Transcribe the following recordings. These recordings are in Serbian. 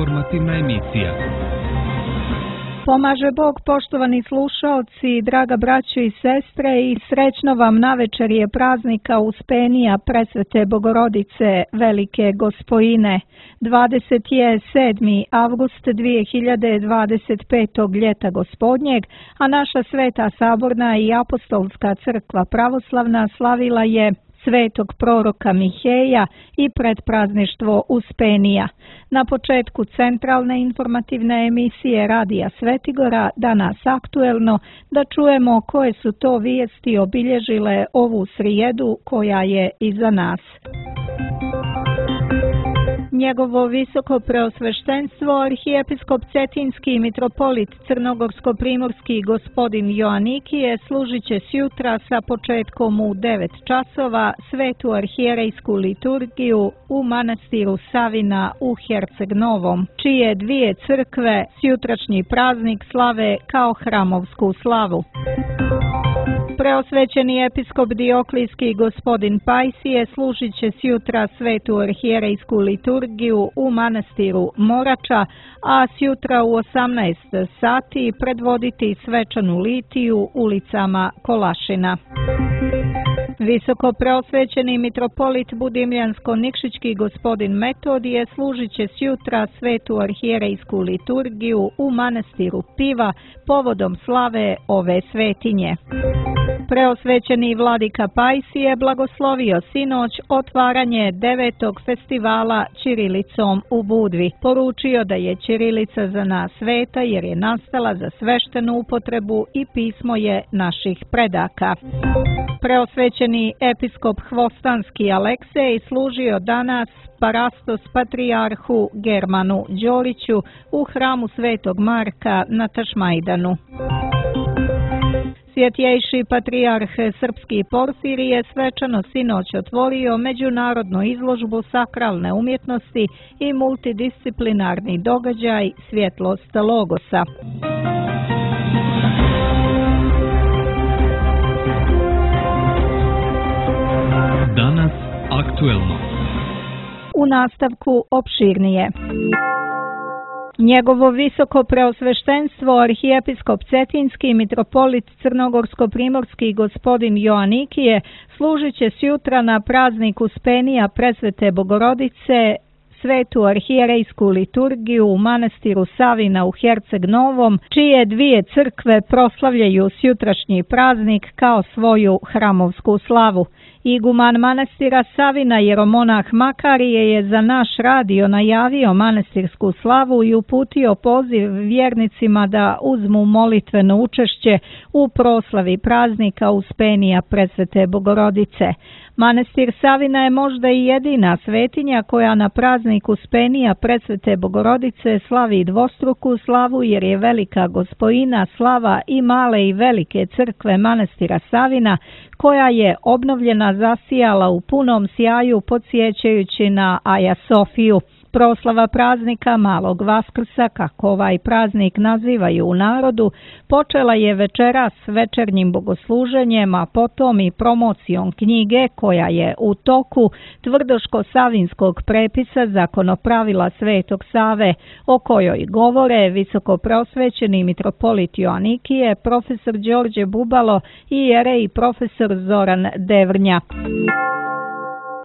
informativna emisija. Pomaže Bog, poštovani slušaoci, draga braćo i sestre, i srećno vam navečerje praznika Uspenija Presvete Bogorodice Velike Gospojine. 27. avgust 2025. ljeta Gospodnjeg, a naša Sveta Saborna i Apostolska crkva pravoslavna slavila je svetog proroka Miheja i predprazništvo Uspenija. Na početku centralne informativne emisije Radija Svetigora, danas aktuelno, da čujemo koje su to vijesti obilježile ovu srijedu koja je iza nas. Njegovo visoko preosveštenstvo, arhijepiskop Cetinski i mitropolit Crnogorsko-primorski gospodin Joanikije služit će sjutra sa početkom u 9 časova svetu arhijerejsku liturgiju u manastiru Savina u Herceg Novom, čije dvije crkve sjutrašnji praznik slave kao hramovsku slavu. Preosvećeni episkop Dioklijski gospodin Pajsije služit će sjutra svetu arhijerejsku liturgiju u manastiru Morača, a sjutra u 18 sati predvoditi svečanu litiju ulicama Kolašina. Visoko preosvećeni mitropolit Budimljansko-Nikšićki gospodin Metodije služit će sjutra svetu arhijerejsku liturgiju u manastiru Piva povodom slave ove svetinje. Preosvećeni vladika Pajsije blagoslovio sinoć otvaranje 9. festivala ćirilicom u Budvi. Poručio da je ćirilica za nas sveta jer je nastala za sveštenu upotrebu i pismo je naših predaka. Preosvećeni episkop Hvostanski Aleksej služio danas parastos patrijarhu Germanu Đoliću u hramu Svetog Marka na Tašmajdanu. Svjetjejši patrijarh Srpski Porfirije svečano sinoć otvorio međunarodnu izložbu sakralne umjetnosti i multidisciplinarni događaj Svjetlost Logosa. Danas aktuelno. U nastavku opširnije. Njegovo visoko preosveštenstvo arhijepiskop Cetinski mitropolit Crnogorsko-primorski gospodin Joanikije služit će sjutra na praznik Uspenija Presvete Bogorodice svetu arhijerejsku liturgiju u manastiru Savina u Herceg Novom, čije dvije crkve proslavljaju sjutrašnji praznik kao svoju hramovsku slavu. Iguman manastira Savina jeromonah Makarije je za naš radio najavio manastirsku slavu i uputio poziv vjernicima da uzmu molitveno učešće u proslavi praznika Uspenija Presvete Bogorodice. Manastir Savina je možda i jedina svetinja koja na praznik Uspenija Presvete Bogorodice slavi dvostruku slavu jer je Velika Gospojina slava i male i velike crkve manastira Savina koja je obnovljena zasijala u punom sjaju podsjećajući na Aja Sofiju. Proslava praznika Malog Vaskrsa, kako ovaj praznik nazivaju u narodu, počela je večeras večernjim bogosluženjem, a potom i promocijom knjige koja je u toku Tvrdoško-savinskog prepisa zakonopravila Svetog Save, o kojoj govore visoko preosvećeni mitropolit Joanikije, profesor Đorđe Bubalo i jerej profesor Zoran Devrnja.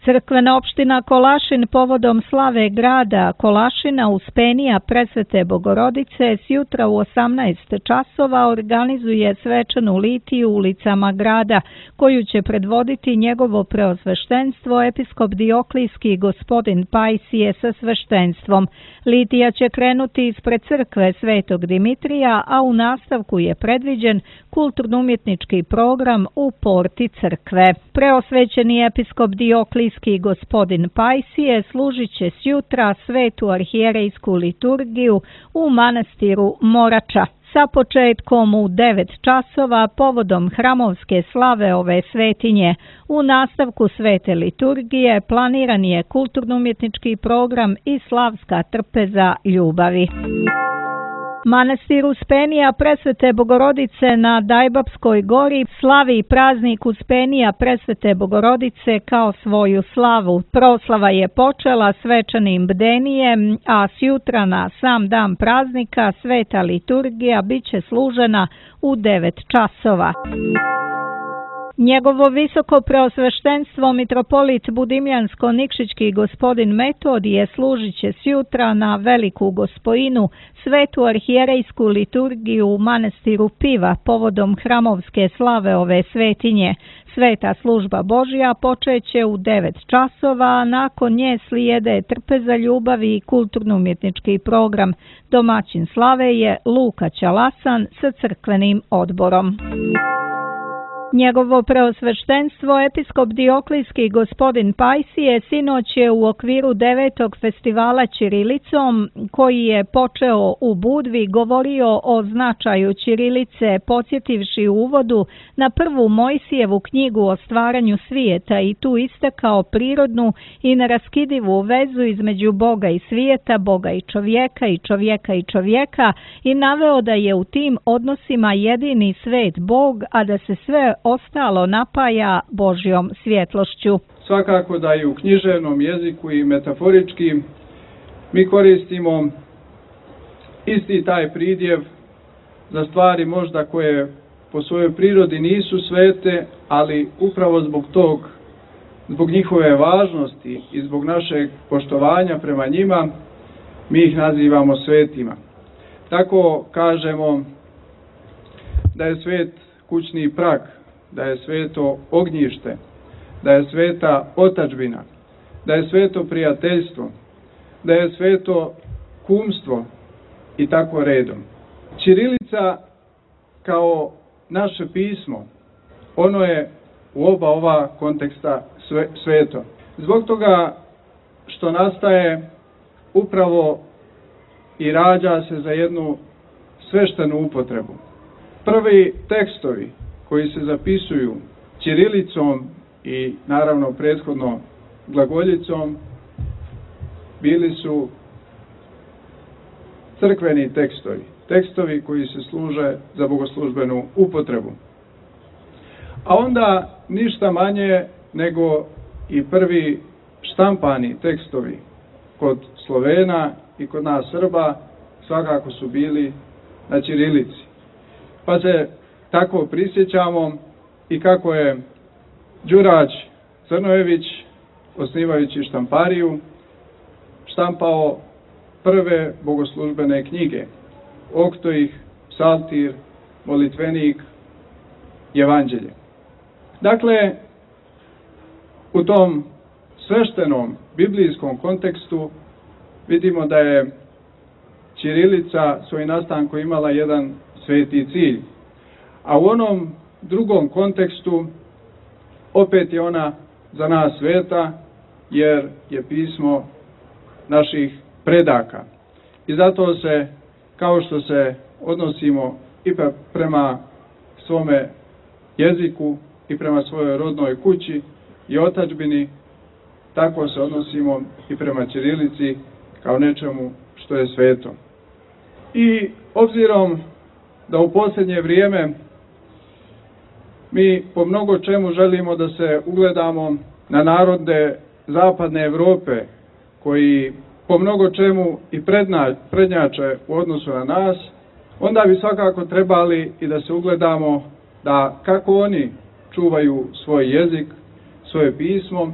Crkvena opština Kolašin povodom slave grada Kolašina Uspenija Presvete Bogorodice sjutra u 18 časova organizuje svečanu litiju ulicama grada, koju će predvoditi njegovo preosveštenstvo episkop Dioklijski gospodin Pajsije sa sveštenstvom. Litija će krenuti ispred crkve Svetog Dimitrija, a u nastavku je predviđen kulturno-umjetnički program u porti crkve. Preosvećeni episkop Dioklijski gospodin Pajsije služit će sjutra svetu arhijerejsku liturgiju u manastiru Morača sa početkom u 9 časova povodom hramovske slave ove svetinje. U nastavku svete liturgije planiran je kulturno-umjetnički program i slavska trpeza ljubavi. Manastir Uspenija Presvete Bogorodice na Dajbapskoj gori slavi praznik Uspenija Presvete Bogorodice kao svoju slavu. Proslava je počela svečanim bdenijem, a sjutra na sam dan praznika sveta liturgija biće služena u 9 časova. Njegovo visoko preosveštenstvo mitropolit Budimljansko-Nikšićki gospodin Metodije služit će sjutra na Veliku Gospojinu svetu arhijerejsku liturgiju u manastiru Piva povodom hramovske slave ove svetinje. Sveta služba Božja počeće u 9 časova, a nakon nje slijede trpeza ljubavi i kulturno-umjetnički program. Domaćin slave je Luka Ćalasan sa crkvenim odborom. Njegovo preosveštenstvo episkop Dioklijski gospodin Pajsije sinoć je u okviru 9. festivala ćirilicom, koji je počeo u Budvi, govorio o značaju ćirilice, podsjetivši u uvodu na prvu Mojsijevu knjigu o stvaranju svijeta i tu istakao prirodnu i neraskidivu vezu između Boga i svijeta, Boga i čovjeka i čovjeka i čovjeka i naveo da je u tim odnosima jedini svet Bog, a da se sve ostalo napaja Božjom svjetlošću. Svakako da i u književnom jeziku i metaforički mi koristimo isti taj pridjev za stvari možda koje po svojoj prirodi nisu svete, ali upravo zbog njihove važnosti i zbog našeg poštovanja prema njima, mi ih nazivamo svetima. Tako kažemo da je svet kućni prag, da je sveto ognjište, da je sveta otadžbina, da je sveto prijateljstvo, da je sveto kumstvo i tako redom. Ćirilica kao naše pismo, ono je u oba ova konteksta sveto. Zbog toga što nastaje upravo i rađa se za jednu sveštenu upotrebu. Prvi tekstovi koji se zapisuju ćirilicom i naravno prethodno glagoljicom bili su crkveni tekstovi, tekstovi koji se služe za bogoslužbenu upotrebu. A onda ništa manje nego i prvi štampani tekstovi kod Slovena i kod nas Srba svakako su bili na ćirilici. Pa se tako prisjećamo i kako je Đurađ Crnojević, osnivajući štampariju, štampao prve bogoslužbene knjige, Oktoih, Psaltir, Molitvenik, Evanđelje. Dakle, u tom sveštenom biblijskom kontekstu vidimo da je ćirilica svoj nastanku imala jedan sveti cilj. A u onom drugom kontekstu opet je ona za nas sveta, jer je pismo naših predaka. I zato se, kao što se odnosimo i prema svome jeziku i prema svojoj rodnoj kući i otadžbini, tako se odnosimo i prema ćirilici kao nečemu što je sveto. I obzirom da u posljednje vrijeme mi po mnogo čemu želimo da se ugledamo na narode zapadne Europe, koji po mnogo čemu i prednjače u odnosu na nas, onda bi svakako trebali i da se ugledamo da kako oni čuvaju svoj jezik, svoje pismo,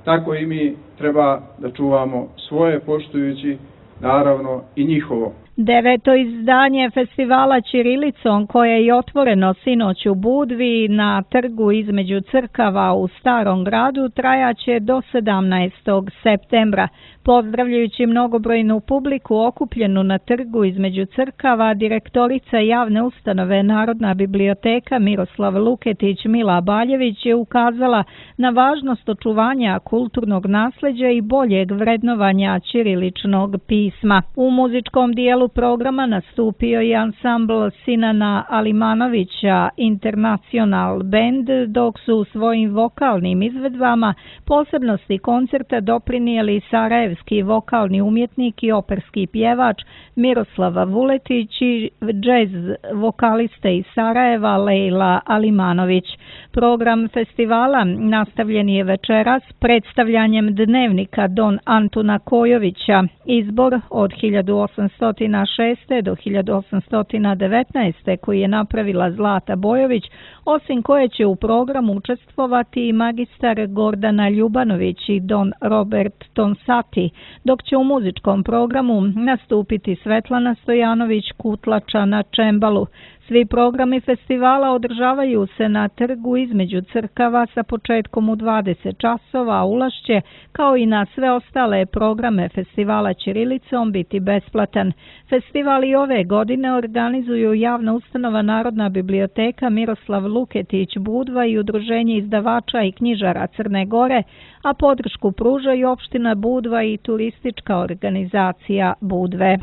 tako i mi treba da čuvamo svoje, poštujući naravno i njihovo. 9. izdanje festivala ćirilicom, koje je otvoreno sinoć u Budvi na trgu između crkava u Starom gradu, trajaće do 17. septembra. Pozdravljajući mnogobrojnu publiku okupljenu na trgu između crkava, direktorica javne ustanove Narodna biblioteka Miroslav Luketić Mila Baljević je ukazala na važnost očuvanja kulturnog nasljeđa i boljeg vrednovanja ćiriličnog pisma. U muzičkom dijelu finalu programa nastupio je ansambl Sinana Alimanovića International Band, dok su svojim vokalnim izvedbama posebnosti koncerta doprinijeli sarajevski vokalni umjetnik i operski pjevač Miroslava Vuletić i džez vokalista iz Sarajeva Lejla Alimanović. Program festivala nastavljen je večeras predstavljanjem dnevnika Don Antuna Kojovića, izbor od 1806. do 1819. koji je napravila Zlata Bojović, osim koje će u programu učestvovati i magistar Gordana Ljubanović i Don Robert Tonsati, dok će u muzičkom programu nastupiti Svetlana Stojanović Kutlača na čembalu. Svi programi festivala održavaju se na trgu između crkava sa početkom u 20 časova, a ulaz će, kao i na sve ostale programe festivala ćirilicom, biti besplatan. Festival i ove godine organizuju javna ustanova Narodna biblioteka Miroslav Luketić Budva i Udruženje izdavača i knjižara Crne Gore, a podršku pružaju opština Budva i turistička organizacija Budve.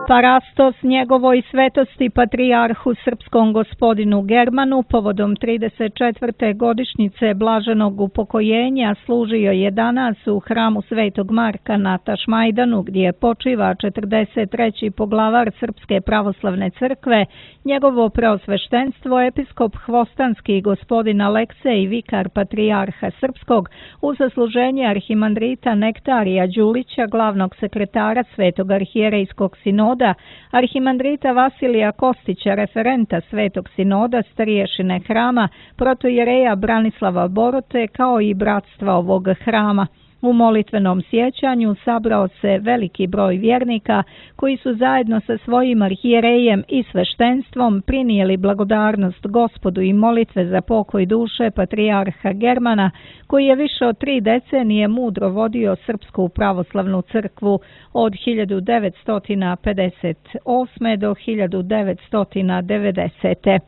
Parastos njegovoj svetosti patrijarhu srpskom gospodinu Germanu povodom 34. godišnjice blaženog upokojenja služio je danas u hramu Svetog Marka na Tašmajdanu, gdje počiva 43. poglavar Srpske pravoslavne crkve, njegovo preosveštenstvo episkop Hvostanski gospodin Aleksej, vikar patrijarha srpskog, u zasluženje arhimandrita Nektarija Đulića, glavnog sekretara Svetog arhijerejskog sinoda, arhimandrita Vasilija Kostića, referenta Svetog sinoda, starješine hrama, protojereja Branislava Borote, kao i bratstva ovog hrama. U molitvenom sjećanju sabrao se veliki broj vjernika koji su zajedno sa svojim arhijerejem i sveštenstvom prinijeli blagodarnost Gospodu i molitve za pokoj duše patrijarha Germana, koji je više od 3 decenije mudro vodio Srpsku pravoslavnu crkvu od 1958. do 1990.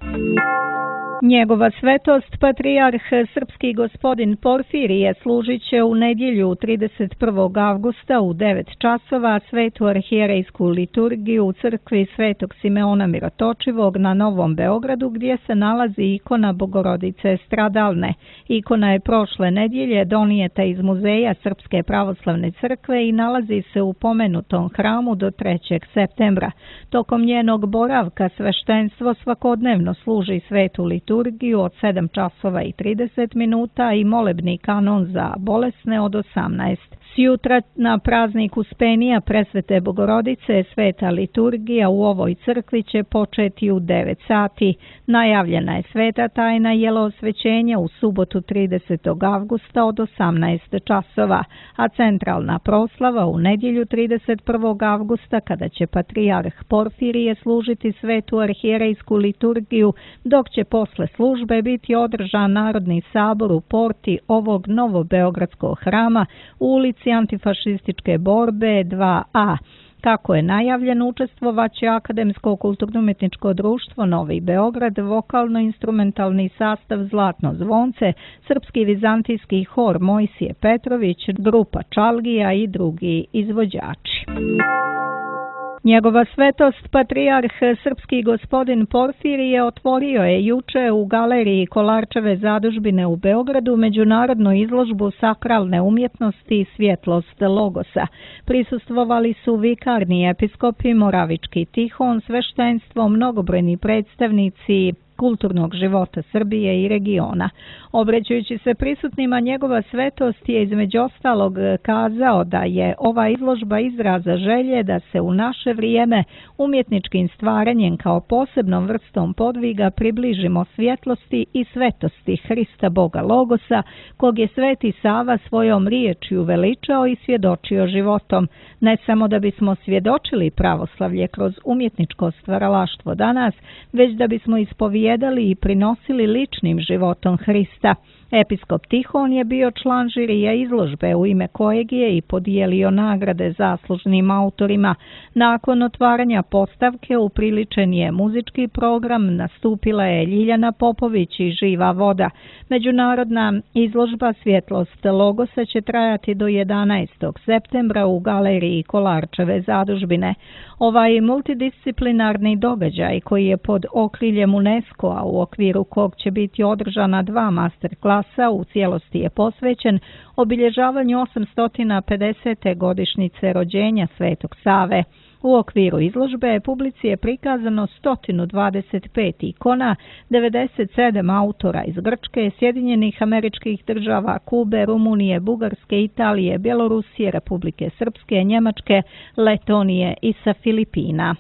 Njegova svetost, patrijarh srpski gospodin Porfirije, služit će u nedjelju 31. avgusta u 9 časova svetu arhijerejsku liturgiju u crkvi Svetog Simeona Mirotočivog na Novom Beogradu, gdje se nalazi ikona Bogorodice Stradalne. Ikona je prošle nedjelje donijeta iz muzeja Srpske pravoslavne crkve i nalazi se u pomenutom hramu do 3. septembra. Tokom njenog boravka sveštenstvo svakodnevno služi svetu liturgiju od 7 časova i 30 minuta i molebni kanon za bolesne od 18. Sjutra na praznik Uspenija Presvete Bogorodice sveta liturgija u ovoj crkvi će početi u 9 sati. Najavljena je sveta tajna jeloosvećenja u subotu 30. avgusta od 18 časova, a centralna proslava u nedjelju 31. avgusta, kada će patrijarh Porfirije služiti svetu arhijerejsku liturgiju, dok će posle službe biti održan Narodni sabor u porti ovog novobeogradskog hrama u ulici Antifašističke borbe 2A. Kako je najavljeno, učestvovaće Akademsko kulturno-umjetničko društvo Novi Beograd, vokalno-instrumentalni sastav Zlatno zvonce, Srpski vizantijski hor Mojsije Petrović, grupa Čalgija i drugi izvođači. Njegova svetost, patrijarh srpski gospodin Porfirije, otvorio je juče u galeriji Kolarčeve zadužbine u Beogradu međunarodnu izložbu sakralne umjetnosti Svjetlost Logosa. Prisustvovali su vikarni episkopi Moravički Tihon, sveštenstvo, mnogobrojni predstavnici kulturnog života Srbije i regiona. Obraćajući se prisutnima, njegova svetost je između ostalog kazao da je ova izložba izraza želje da se u naše vrijeme umjetničkim stvaranjem kao posebnom vrstom podviga približimo svjetlosti i svetosti Hrista Boga Logosa, kog je Sveti Sava svojom riječju veličao i svjedočio životom. Ne samo da bismo svjedočili pravoslavlje kroz umjetničko stvaralaštvo danas, već da bismo ispovjedali ispovijedali i prinosili ličnim životom Hrista. Episkop Tihon je bio član žirija izložbe u ime kojeg je i podijelio nagrade zaslužnim autorima. Nakon otvaranja postavke upriličen je muzički program, nastupila je Ljiljana Popović i Živa voda. Međunarodna izložba Svjetlost Logosa će trajati do 11. septembra u galeriji Kolarčeve zadužbine. Ovaj multidisciplinarni događaj koji je pod okriljem UNESCO-a u okviru kog će biti održana 2 masterklasa u cijelosti je posvećen obilježavanju 850. godišnjice rođenja Svetog Save. U okviru izložbe publici je prikazano 125 ikona, 97 autora iz Grčke, Sjedinjenih Američkih Država, Kube, Rumunije, Bugarske, Italije, Bjelorusije, Republike Srpske, Njemačke, Letonije i sa Filipina.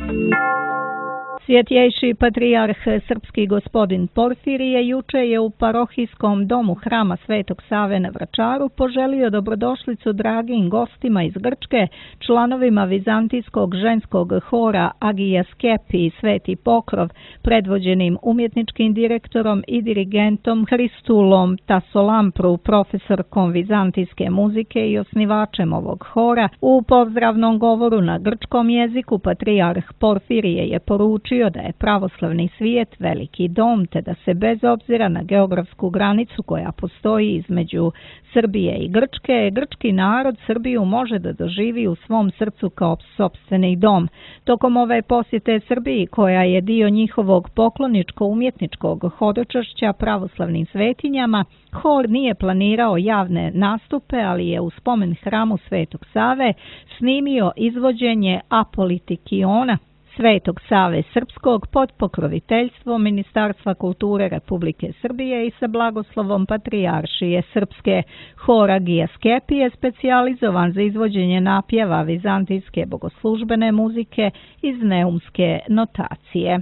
Svjetjejši patrijarh srpski gospodin Porfirije juče je u parohijskom domu Hrama Svetog Save na Vračaru poželio dobrodošlicu dragim gostima iz Grčke, članovima vizantijskog ženskog hora Agija Skepi i Sveti Pokrov, predvođenim umjetničkim direktorom i dirigentom Hristulom Tasolampru, profesorkom vizantijske muzike i osnivačem ovog hora. U pozdravnom govoru na grčkom jeziku patrijarh Porfirije je poručio da je pravoslavni svijet veliki dom, te da se bez obzira na geografsku granicu koja postoji između Srbije i Grčke, grčki narod Srbiju može da doživi u svom srcu kao sopstveni dom. Tokom ove posjete Srbiji, koja je dio njihovog pokloničko-umjetničkog hodočašća pravoslavnim svetinjama, hor nije planirao javne nastupe, ali je u spomen hramu Svetog Save snimio izvođenje Apolitikiona Svetog Save Srpskog pod pokroviteljstvom Ministarstva kulture Republike Srbije i sa blagoslovom Patrijaršije Srpske. Hor Agija Skepi je specijalizovan za izvođenje napjeva vizantijske bogoslužbene muzike iz neumske notacije.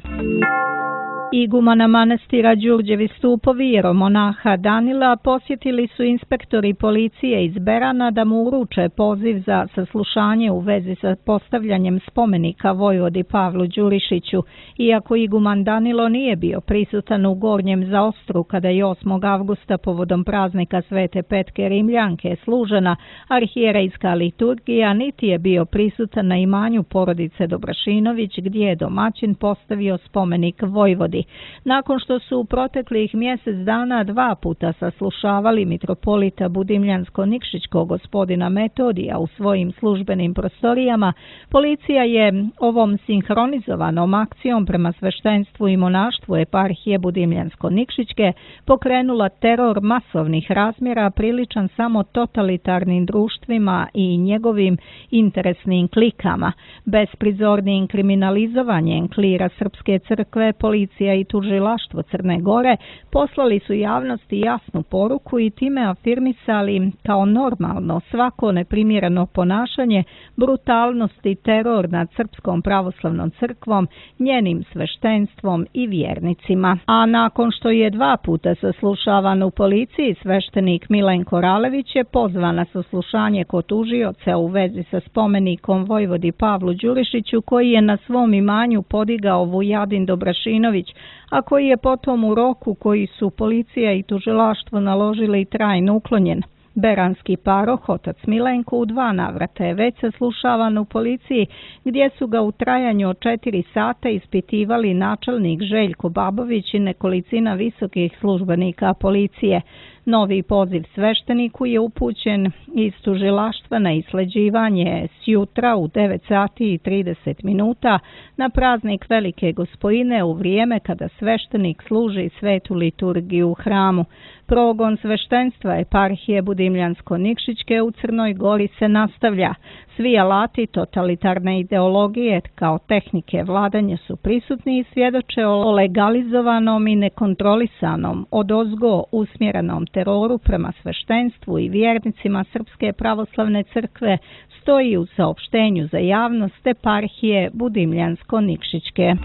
Igumana manastira Đurđevi stupovi jeromonaha Danila posjetili su inspektori policije iz Berana da mu uruče poziv za saslušanje u vezi sa postavljanjem spomenika vojvodi Pavlu Đurišiću. Iako iguman Danilo nije bio prisutan u Gornjem Zaostru kada je 8. avgusta povodom praznika Svete Petke Rimljanke služena arhijerejska liturgija, niti je bio prisutan na imanju porodice Dobrašinović gdje je domaćin postavio spomenik vojvodi. Nakon što su u proteklih mjesec dana 2 puta saslušavali mitropolita Budimljansko-Nikšićkog gospodina Metodija u svojim službenim prostorijama, policija je ovom sinhronizovanom akcijom prema sveštenstvu i monaštvu eparhije Budimljansko-Nikšićke pokrenula teror masovnih razmjera priličan samo totalitarnim društvima i njegovim interesnim klikama. Besprizornim kriminalizovanjem klira Srpske crkve, policija i tužilaštvo Crne Gore poslali su javnosti jasnu poruku i time afirmisali kao normalno svako neprimjereno ponašanje, brutalnost i teror nad Srpskom pravoslavnom crkvom, njenim sveštenstvom i vjernicima. A nakon što je 2 puta saslušavan u policiji, sveštenik Milenko Ralević je pozvan na saslušanje kod tužioca u vezi sa spomenikom vojvodi Pavlu Đurišiću koji je na svom imanju podigao Vujadin Dobrašinović, a koji je potom u roku koji su policija i tužilaštvo naložili trajno uklonjen. Beranski paroh, otac Milenko, u 2 navrata je već saslušavan u policiji, gdje su ga u trajanju od 4 sata ispitivali načelnik Željko Babović i nekolicina visokih službenika policije. Novi poziv svešteniku je upućen iz tužilaštva na isleđivanje sjutra u 9 sati i 30 minuta na praznik Velike Gospojine u vrijeme kada sveštenik služi svetu liturgiju u hramu. Progon sveštenstva eparhije Budimljansko-Nikšićke u Crnoj Gori se nastavlja. Svi alati totalitarne ideologije kao tehnike vladanja su prisutni i svjedoče o legalizovanom i nekontrolisanom odozgo usmjerenom teroru prema sveštenstvu i vjernicima Srpske pravoslavne crkve, stoji u saopštenju za javnost eparhije Budimljansko-Nikšićke.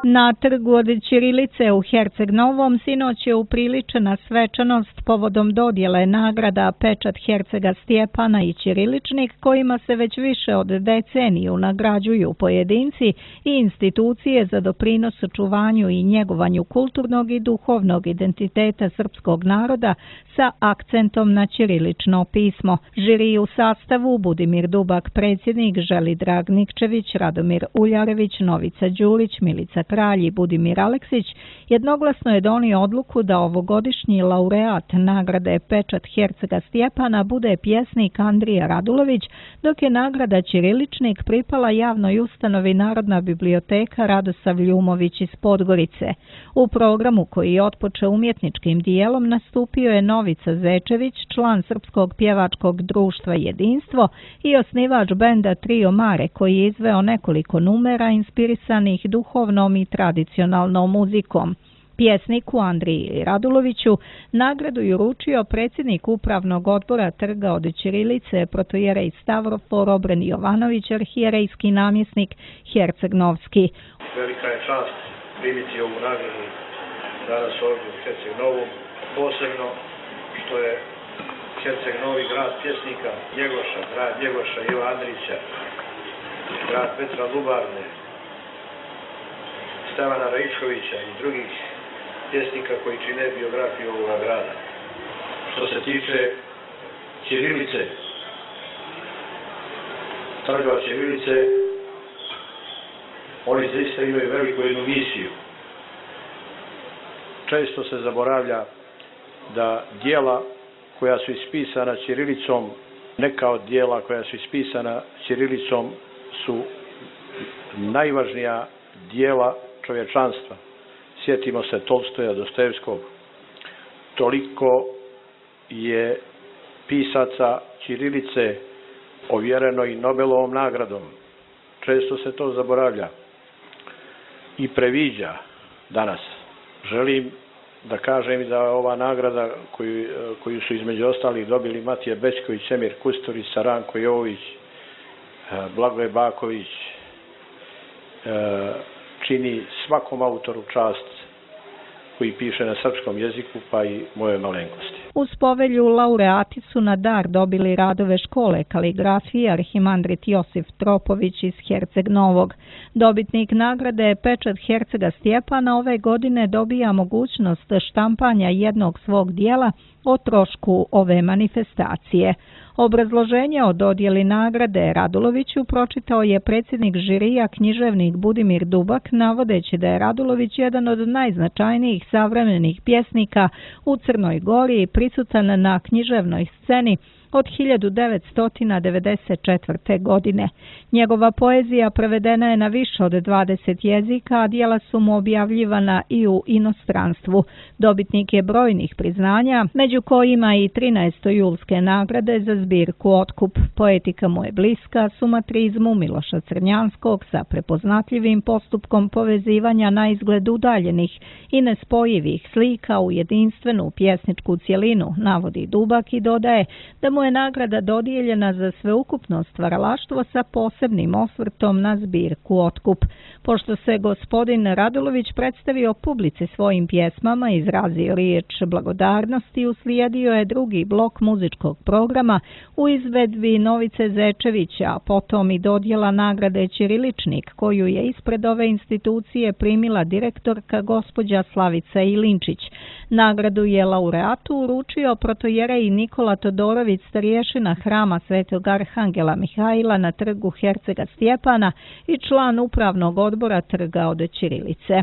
Na trgu od ćirilice u Herceg Novom sinoć je upriličena svečanost povodom dodjele nagrada Pečat Hercega Stjepana i ćiriličnik, kojima se već više od deceniju nagrađuju pojedinci i institucije za doprinos očuvanju i njegovanju kulturnog i duhovnog identiteta srpskog naroda sa akcentom na ćirilično pismo. Žiri u sastavu Budimir Dubak, predsjednik, Želidrag Nikčević, Radomir Uljarević, Novica Đurić, Milica Kralj i Budimir Aleksić jednoglasno je donio odluku da ovogodišnji laureat nagrade Pečat Hercega Stjepana bude pjesnik Andrija Radulović, dok je nagrada ćiriličnik pripala javnoj ustanovi Narodna biblioteka Radosav Ljumović iz Podgorice. U programu koji je otpočeo umjetničkim dijelom nastupio je Novica Zečević, član Srpskog pjevačkog društva Jedinstvo i osnivač benda Trio Mare, koji je izveo nekoliko numera inspirisanih duhovnom i tradicionalnom muzikom. Pjesniku Andriji Raduloviću nagradu je uručio predsjednik upravnog odbora trga od ćirilice protojerej Stavrofor Obren Jovanović, arhijerejski namjesnik Herceg-Novski. Velika je čast primiti ovu nagradu danas ovdje u Herceg Novom, posebno što je Herceg Novi grad pjesnika Njegoša, grad Njegoša Iva Andrića, grad Petra Lubarne, Stevana Raičkovića i drugih pjesnika koji čine biografiju ovoga grada. Što se tiče ćirilice, trga od ćirilice, oni zaista imaju veliku jednu misiju. Često se zaboravlja da dijela koja su ispisana ćirilicom, neka od dijela koja su ispisana ćirilicom su najvažnija dijela čovječanstva. Sjetimo se Tolstoja, Dostojevskog. Toliko je pisaca ćirilice ovjereno i Nobelovom nagradom. Često se to zaboravlja i previđa danas. Želim da kažem i da ova nagrada koju su između ostalih dobili Matija Bećković, Emir Kusturić, Saranko Jović, Blagoje Baković, čini svakom autoru čast koji piše na srpskom jeziku, pa i moje malenkosti. Uz povelju laureati su na dar dobili radove škole kaligrafije arhimandrit Josif Tropović iz Herceg Novog. Dobitnik nagrade Pečat Hercega Stjepana ove godine dobija mogućnost štampanja jednog svog dijela o trošku ove manifestacije. Obrazloženje o dodjeli nagrade Raduloviću pročitao je predsjednik žirija književnik Budimir Dubak, navodeći da je Radulović jedan od najznačajnijih savremenih pjesnika u Crnoj Gori i prisutan na književnoj sceni od 1994. godine. Njegova poezija prevedena je na više od 20 jezika, a dijela su mu objavljivana i u inostranstvu. Dobitnik je brojnih priznanja, među kojima i 13. julske nagrade za zbirku Otkup. Poetika mu je bliska sumatrizmu Miloša Crnjanskog sa prepoznatljivim postupkom povezivanja na izgled udaljenih i nespojivih slika u jedinstvenu pjesničku cjelinu, navodi Dubak i dodaje da mu je nagrada dodijeljena za sveukupno stvaralaštvo sa posebnim osvrtom na zbirku Otkup. Pošto se gospodin Radulović predstavio publici svojim pjesmama, izrazio riječ blagodarnosti, uslijedio je drugi blok muzičkog programa u izvedbi Novice Zečevića, a potom i dodjela nagrade Ćiriličnik, koju je ispred ove institucije primila direktorka gospođa Slavica Ilinčić. Nagradu je laureatu uručio protojerej Nikola Todorović, starješina hrama Svetog Arhangela Mihajla na trgu Hercega Stjepana i član upravnog odbora trga od ćirilice.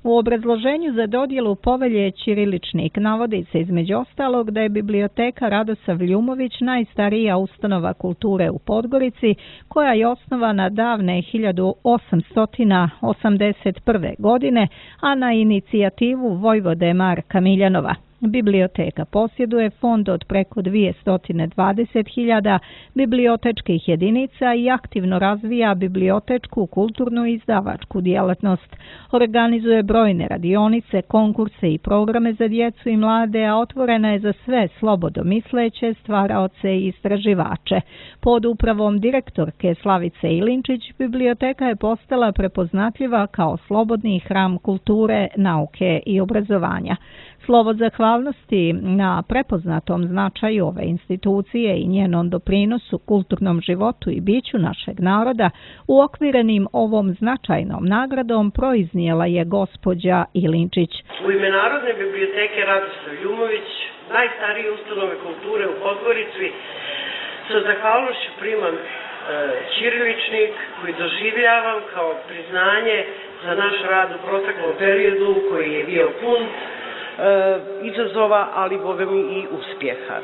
U obrazloženju za dodjelu povelje Ćiriličnik navodi se između ostalog da je biblioteka Radosav Ljumović najstarija ustanova kulture u Podgorici, koja je osnovana davne 1881. godine, a na inicijativu vojvode Marka Miljanova. Biblioteka posjeduje fond od preko 220.000 bibliotečkih jedinica i aktivno razvija bibliotečku, kulturnu i izdavačku djelatnost. Organizuje brojne radionice, konkurse i programe za djecu i mlade, a otvorena je za sve slobodomisleće, stvaraoce i istraživače. Pod upravom direktorke Slavice Ilinčić, biblioteka je postala prepoznatljiva kao slobodni hram kulture, nauke i obrazovanja. Slovo zahvalnosti na prepoznatom značaju ove institucije i njenom doprinosu kulturnom životu i biću našeg naroda uokvirenim ovom značajnom nagradom proiznijela je gospođa Ilinčić. U ime Narodne biblioteke Radoslav Ljumović, najstarije ustanove kulture u Podgorici, sa zahvalnošću primam ćiriličnik koji doživljavam kao priznanje za naš rad u proteklom periodu koji je bio pun izazova, ali bogami i uspjeha.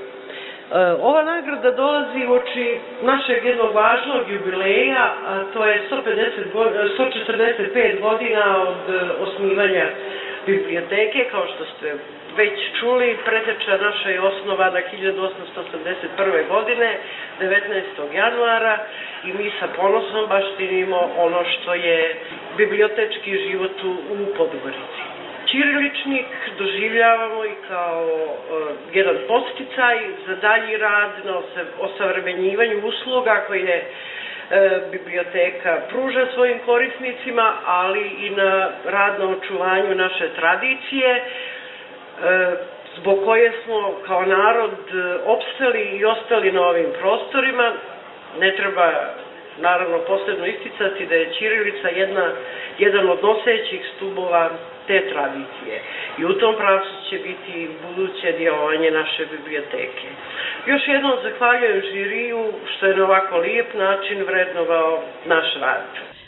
Ova nagrada dolazi uoči našeg jednog važnog jubileja, a to je 145 godina od osnivanja biblioteke. Kao što ste već čuli, preteča naša je osnovana 1881. godine, 19. januara, i mi sa ponosom baštinimo ono što je bibliotečki život u Podgorici. Ćiriličnik doživljavamo i kao jedan podsticaj za dalji rad na osavremenjivanju usluga koje biblioteka pruža svojim korisnicima, ali i na rad na očuvanju naše tradicije, zbog koje smo kao narod opstali i ostali na ovim prostorima. Ne treba naravno posebno isticati da je ćirilica jedan od nosećih stubova te tradicije i u tom pravcu će biti buduće djelovanje naše biblioteke. Još jednom zahvaljujem žiriju što je na ovako lijep način vrednovao naš rad.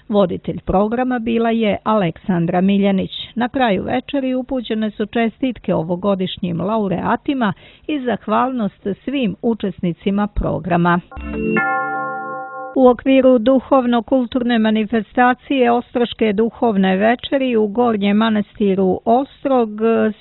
Voditelj programa bila je Aleksandra Miljanić. Na kraju večeri upućene su čestitke ovogodišnjim laureatima i zahvalnost svim učesnicima programa. U okviru duhovno-kulturne manifestacije Ostroške duhovne večeri u Gornjem manastiru Ostrog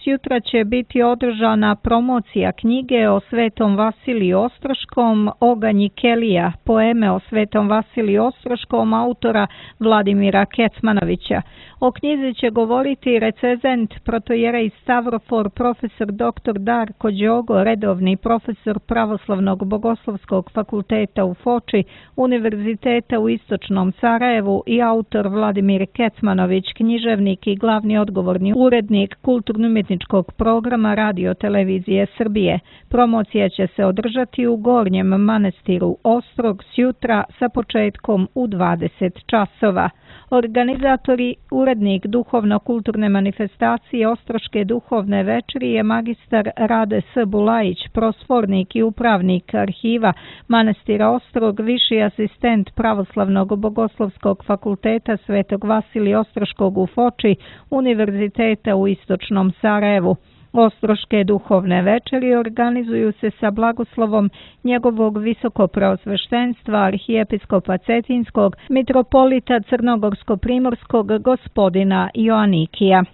sjutra će biti održana promocija knjige o Svetom Vasiliju Ostroškom Oganji Kelija, poeme o Svetom Vasiliju Ostroškom autora Vladimira Kecmanovića. O knjizi će govoriti recenzent protojerej Stavrofor profesor dr. Darko Đogo, redovni profesor Pravoslavnog bogoslovskog fakulteta u Foči, Univerziteta u Istočnom Sarajevu i autor Vladimir Kecmanović, književnik i glavni odgovorni urednik kulturno-umjetničkog programa Radio Televizije Srbije. Promocija će se održati u Gornjem manastiru Ostrog sjutra sa početkom u 20 časova. Organizatori, urednik duhovno-kulturne manifestacije Ostroške duhovne večeri je magistar Rade S. Bulajić, prosfornik i upravnik arhiva manastira Ostrog, viši asistent Pravoslavnog bogoslovskog fakulteta Svetog Vasilija Ostroškog u Foči, Univerziteta u Istočnom Sarajevu. Ostroške duhovne večeri organizuju se sa blagoslovom njegovog visokopreosveštenstva arhijepiskopa Cetinskog, mitropolita Crnogorsko-primorskog gospodina Joanikija.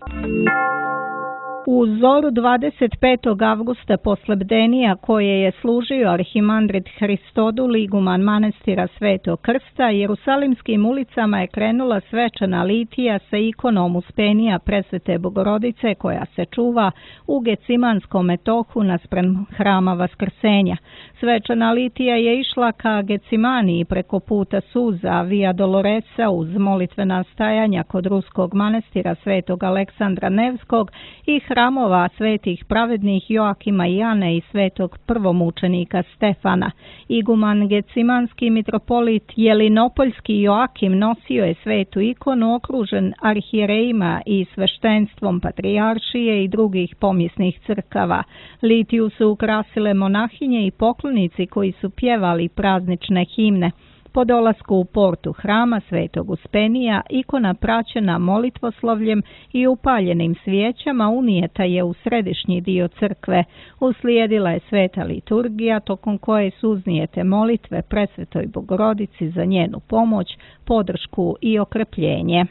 U zoru 25. avgusta posle bdenija koje je služio arhimandrit Hristodul, iguman manastira Svetog Krsta, jerusalimskim ulicama je krenula svečana litija sa ikonom Uspenija Presvete Bogorodice koja se čuva u Gecimanskom metohu naspram hrama Vaskrsenja. Svečana litija je išla ka Gecimaniji preko puta suza Via Doloresa uz molitvena stajanja kod ruskog manastira Svetog Aleksandra Nevskog i hramova svetih pravednih Joakima i Ane i svetog prvomučenika Stefana. Iguman gecimanski mitropolit Jelinopoljski Joakim nosio je svetu ikonu okružen arhijerejima i sveštenstvom patrijaršije i drugih pomjesnih crkava. Litiju su ukrasile monahinje i poklonici koji su pjevali praznične himne. Po dolasku u portu hrama Svetog Uspenija, ikona praćena molitvoslovljem i upaljenim svijećama unijeta je u središnji dio crkve. Uslijedila je sveta liturgija tokom koje su uznijete molitve Presvetoj Bogorodici za njenu pomoć, podršku i okrepljenje.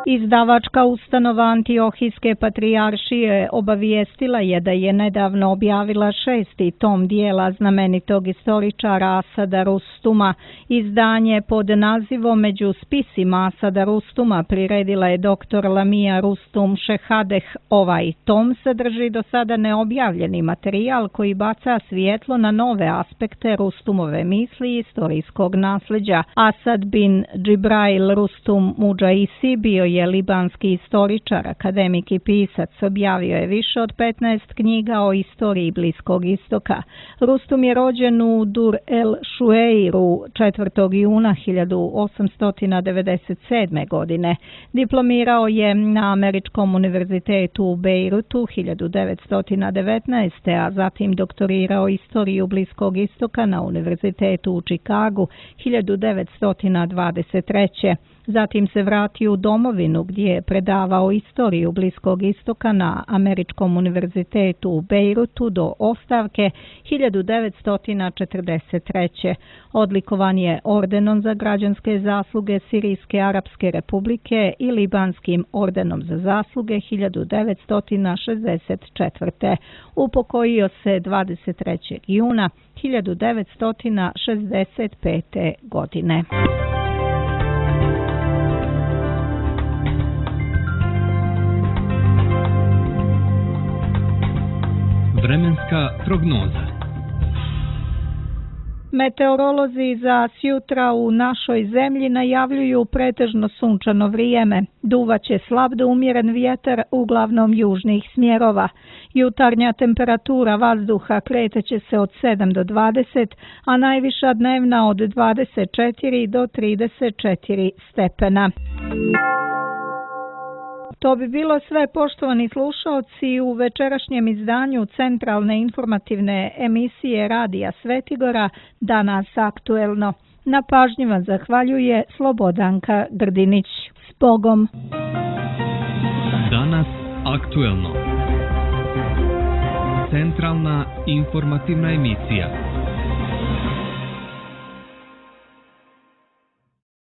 Izdavačka ustanova Antiohijske patrijaršije obavijestila je da je nedavno objavila 6. tom dijela znamenitog istoričara Asada Rustuma. Izdanje pod nazivom Među spisima Asada Rustuma priredila je dr. Lamia Rustum Šehadeh. Ovaj tom sadrži do sada neobjavljeni materijal koji baca svjetlo na nove aspekte Rustumove misli i istorijskog nasljeđa. Asad bin Džibrail Rustum Mudžaisi bio je libanski istoričar, akademik i pisac. Objavio je više od 15 knjiga o istoriji Bliskog istoka. Rustum je rođen u Dur el Šueiru 4. juna 1897. godine. Diplomirao je na Američkom univerzitetu u Bejrutu 1919. a zatim doktorirao istoriju Bliskog istoka na Univerzitetu u Čikagu 1923. Zatim se vratio u domovinu gdje je predavao istoriju Bliskog istoka na Američkom univerzitetu u Bejrutu do ostavke 1943. Odlikovan je ordenom za građanske zasluge Sirijske Arapske Republike i Libanskim ordenom za zasluge 1964. Upokojio se 23. juna 1965. godine. Vremenska prognoza. Meteorolozi za sjutra u našoj zemlji najavljuju pretežno sunčano vrijeme. Duvaće slab do umjeren vjetar uglavnom južnih smjerova. Jutarnja temperatura vazduha kreteće se od 7 do 20, a najviša dnevna od 24 do 34 stepena. To bi bilo sve, poštovani slušaoci, u večerašnjem izdanju centralne informativne emisije Radija Svetigora Danas aktuelno. Na pažnji vam zahvaljuje Slobodanka Grdinić. S Bogom! Danas aktuelno. Centralna informativna emisija.